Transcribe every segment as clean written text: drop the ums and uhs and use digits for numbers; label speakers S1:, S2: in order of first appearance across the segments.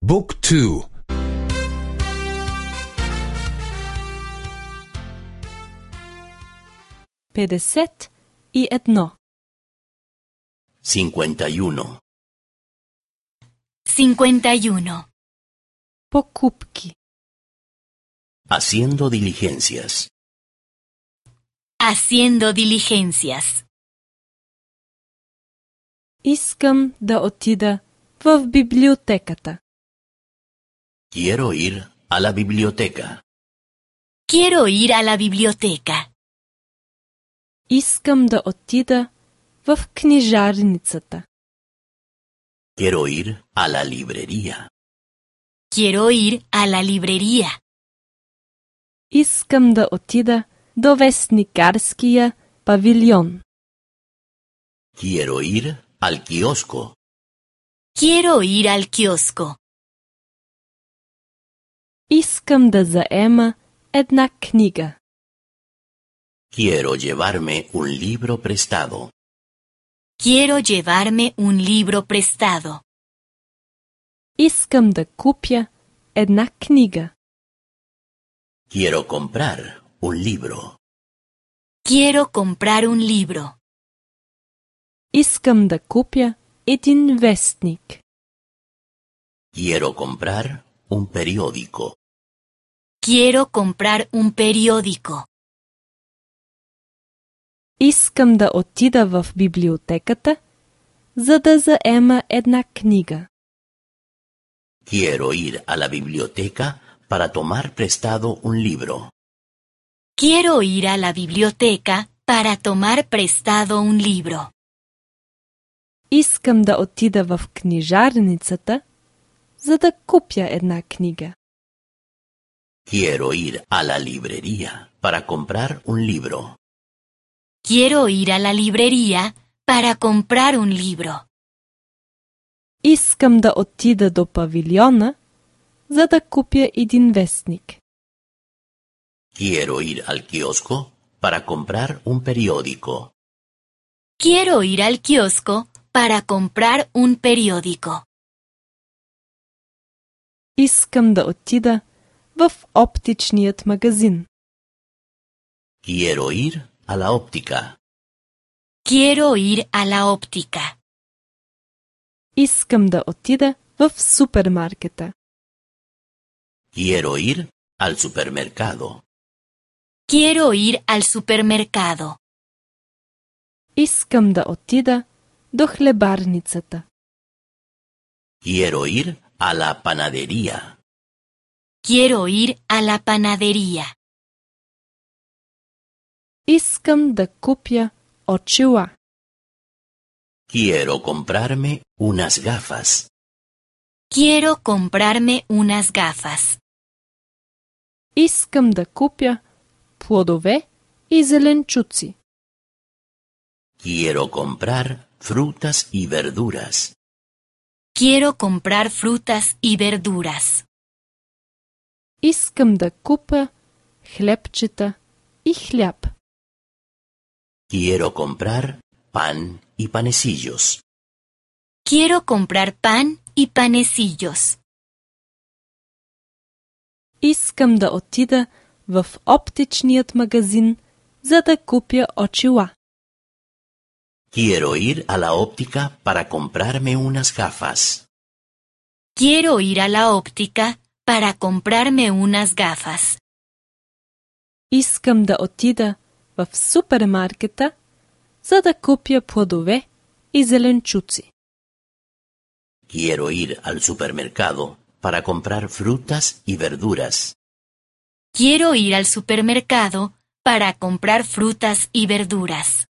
S1: Book 2.
S2: 51.
S3: 51.
S4: 51.
S2: Покупки.
S3: Haciendo diligencias.
S4: Haciendo diligencias.
S2: Искам да отида в библиотеката.
S3: Quiero ir a la biblioteca.
S4: Quiero ir a la biblioteca.
S2: Искам да отида в книжарницата.
S3: Quiero ir a la librería.
S4: Quiero ir a la librería.
S2: Искам да отида до вестникарския павилион.
S3: Quiero ir al kiosco.
S4: Quiero ir al kiosco.
S2: Искам да заема една книга.
S3: Quiero llevarme un libro prestado.
S4: Quiero llevarme un libro prestado.
S2: Искам да купя една книга.
S3: Quiero comprar un libro.
S4: Quiero comprar un libro.
S2: Искам да купя един вестник.
S3: Quiero comprar un periódico.
S4: Quiero comprar un periódico.
S2: Искам да отида в библиотеката, за да заема една книга.
S3: Quiero ir a la biblioteca para tomar prestado un libro.
S4: Quiero ir a la biblioteca para tomar prestado un libro.
S2: Искам да отида в книжарницата, за да купя една книга.
S3: Quiero ir a la librería para comprar un libro.
S4: Quiero ir a la librería para comprar un libro.
S2: Искам да отида до павилиона, за да купя един вестник.
S3: Quiero ir al kiosco para comprar un periódico.
S4: Quiero ir al kiosco para comprar un periódico.
S2: Искам да отида в оптичният магазин.
S3: Quiero ir a la óptica.
S4: Quiero ir a la óptica.
S2: Искам да отида в супермаркета.
S3: Quiero ir al supermercado.
S4: Quiero ir al supermercado.
S2: Искам да отида до хлебарницата.
S3: Quiero ir a la panadería.
S4: Quiero ir a la panadería.
S2: Искам да купя очила.
S3: Quiero comprarme unas gafas.
S4: Quiero comprarme unas gafas.
S2: Искам да купя плодове и зеленчуци.
S3: Quiero comprar frutas y verduras.
S4: Quiero comprar frutas y verduras.
S2: Искам да купя хлебчета и хляб.
S3: Quiero comprar pan y panecillos.
S4: Quiero comprar pan y panecillos.
S2: Искам да отида в оптичният магазин, за да купя очила.
S3: Quiero ir a la óptica para comprarme unas gafas.
S4: Quiero ir a la óptica para comprarme unas gafas.
S2: Искам да отида в супермаркета, за да купя плодове и зеленчуци.
S3: Quiero ir al supermercado para comprar frutas y verduras.
S4: Quiero ir al supermercado para comprar frutas y verduras.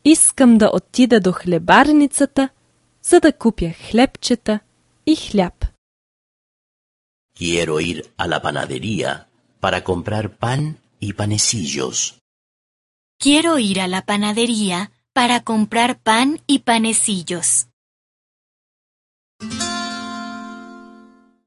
S2: Искам да отида до хлебарницата, за да купя хлебчета и хляб.
S3: Quiero ir a la panadería para comprar pan y panecillos.
S4: Quiero ir a la panadería para comprar pan y panecillos.